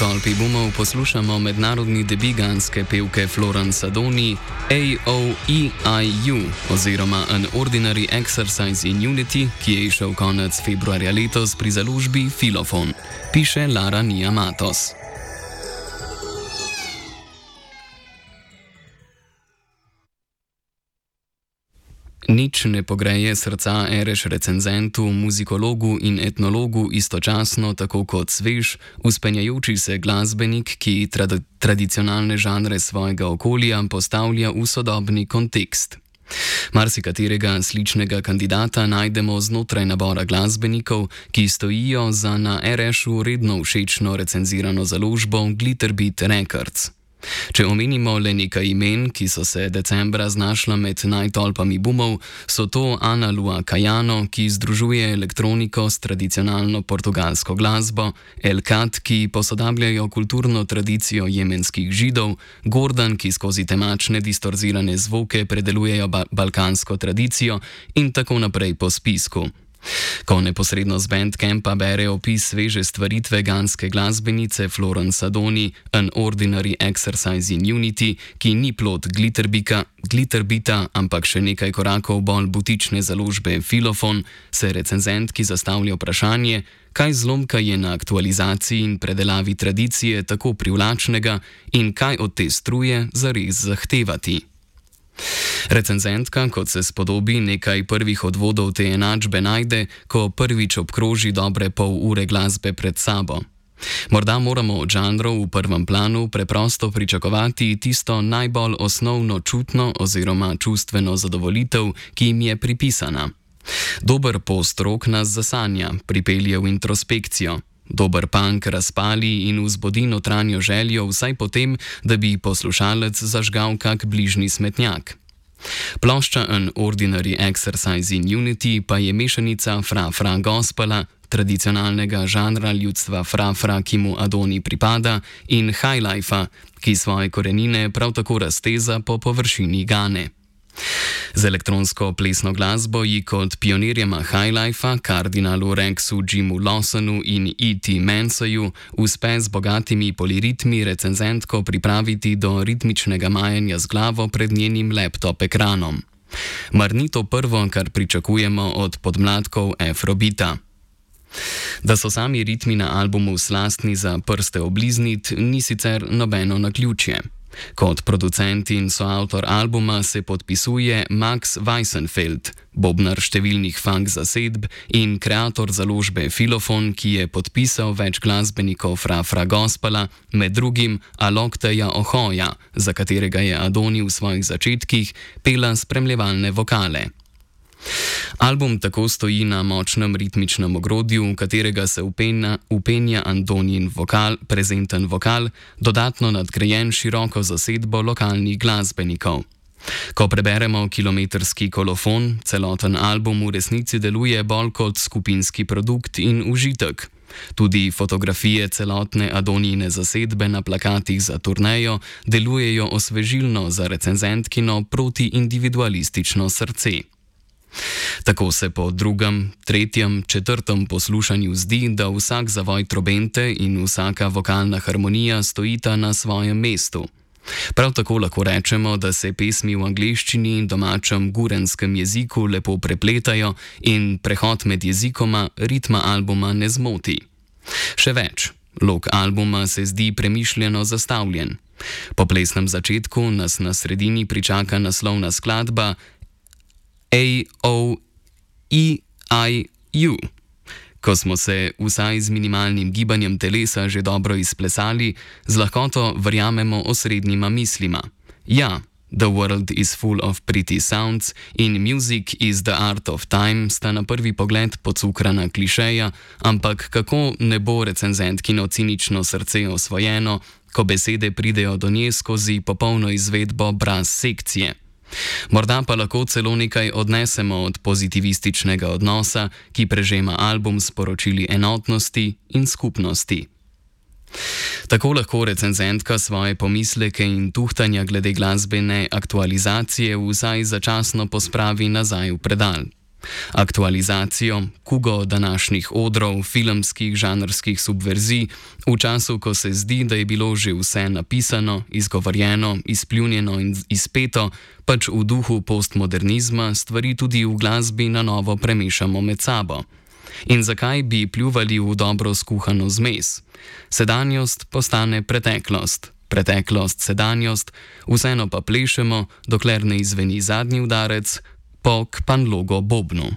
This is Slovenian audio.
tolpi bumov poslušamo mednarodni debi ganske pevke Florence Adoni AOEIU oziroma An Ordinary Exercise in Unity, ki je išel konec februarja letos pri založbi Filofon, piše Lara Nia Matos. Nič ne pogreje srca ereš recenzentu, muzikologu in etnologu istočasno tako kot svež, vzpenjajoči se glasbenik, ki tradicionalne žanre svojega okolja postavlja v sodobni kontekst. Marsikaterega sličnega kandidata najdemo znotraj nabora glasbenikov, ki stojijo za na RŠ-u redno všečno recenzirano založbo Glitterbeat Records. Če omenimo le nekaj imen, ki so se decembra znašla med najtolpami bumov, so to Ana Lua Caiano, ki združuje elektroniko s tradicionalno portugalsko glasbo, El Kat, ki posodabljajo kulturno tradicijo jemenskih Židov, Gordon, ki skozi temačne distorzirane zvoke predelujejo balkansko tradicijo in tako naprej po spisku. Ko neposredno z Bandcampa bere opis sveže stvaritve ganske glasbenice Florence Adoni An Ordinary Exercise in Unity, ki ni plod Glitterbeata, ampak še nekaj korakov bolj butične založbe Filofon, se recenzentki zastavlja vprašanje, kaj zlomka je na aktualizaciji in predelavi tradicije tako privlačnega in kaj od te struje zares zahtevati. Recenzentka, kot se spodobi, nekaj prvih odvodov te enačbe najde, ko prvič obkroži dobre pol ure glasbe pred sabo. Morda moramo od žanrov v prvem planu preprosto pričakovati tisto najbolj osnovno čutno oziroma čustveno zadovoljitev, ki jim je pripisana. Dober post-rock nas zasanja, pripelje v introspekcijo. Dober punk razpali in vzbudi notranjo željo vsaj potem, da bi poslušalec zažgal kak bližnji smetnjak. Plošča An Ordinary Exercise in Unity pa je mešanica fra-fra gospela, tradicionalnega žanra ljudstva fra-fra, ki mu Adoni pripada, in highlifea, ki svoje korenine prav tako razteza po površini Gane. Z elektronsko plesno glasbo ji kot pionirjema highlifea, kardinalu Rexu Jimu Lawsonu in E.T. Mansoju uspe z bogatimi poliritmi recenzentko pripraviti do ritmičnega majanja z glavo pred njenim laptop ekranom. Mar ni to prvo, kar pričakujemo od podmladkov afrobeata? Da so sami ritmi na albumu slastni za prste obliznit, ni sicer nobeno naključje. Kot producent in soavtor albuma se podpisuje Max Weissenfeld, bobnar številnih funk zasedb in kreator založbe Filofon, ki je podpisal več glasbenikov fra-fra gospela, med drugim Alokteja Ohoja, za katerega je Adoni v svojih začetkih pela spremljevalne vokale. Album tako stoji na močnem ritmičnem ogrodju, v katerega se upenja Antonijin vokal, prezenten vokal, dodatno nadgrajen široko zasedbo lokalnih glasbenikov. Ko preberemo kilometrski kolofon, celoten album v resnici deluje bolj kot skupinski produkt in užitek. Tudi fotografije celotne Adonijine zasedbe na plakatih za turnejo delujejo osvežilno za recenzentkino protiindividualistično srce. Tako se po drugem, tretjem, četrtem poslušanju zdi, da vsak zavoj trobente in vsaka vokalna harmonija stojita na svojem mestu. Prav tako lahko rečemo, da se pesmi v angleščini in domačem gurenskem jeziku lepo prepletajo in prehod med jezikoma ritma albuma ne zmoti. Še več, lok albuma se zdi premišljeno zastavljen. Po plesnem začetku nas na sredini pričaka naslovna skladba AOEIU. Ko smo se vsaj z minimalnim gibanjem telesa že dobro izplesali, z lahkoto verjamemo osrednjima mislima. Ja, The world is full of pretty sounds in music is the art of time sta na prvi pogled pocukrana klišeja, ampak kako ne bo recenzentkino cinično srce osvojeno, ko besede pridejo do nje skozi popolno izvedbo brez sekcije. Morda pa lahko celo nekaj odnesemo od pozitivističnega odnosa, ki prežema album s sporočili enotnosti in skupnosti. Tako lahko recenzentka svoje pomisleke in tuhtanja glede glasbene aktualizacije vsaj začasno pospravi nazaj v predal. Aktualizacijo, kugo današnjih odrov, filmskih žanrskih subverzij, v času, ko se zdi, da je bilo že vse napisano, izgovorjeno, izpljunjeno in izpeto, pač v duhu postmodernizma stvari tudi v glasbi na novo premešamo med sabo. In zakaj bi pljuvali v dobro skuhano zmes? Sedanjost postane preteklost, preteklost sedanjost, vseeno pa plešemo, dokler ne izveni zadnji udarec po kpanlogo bobnu.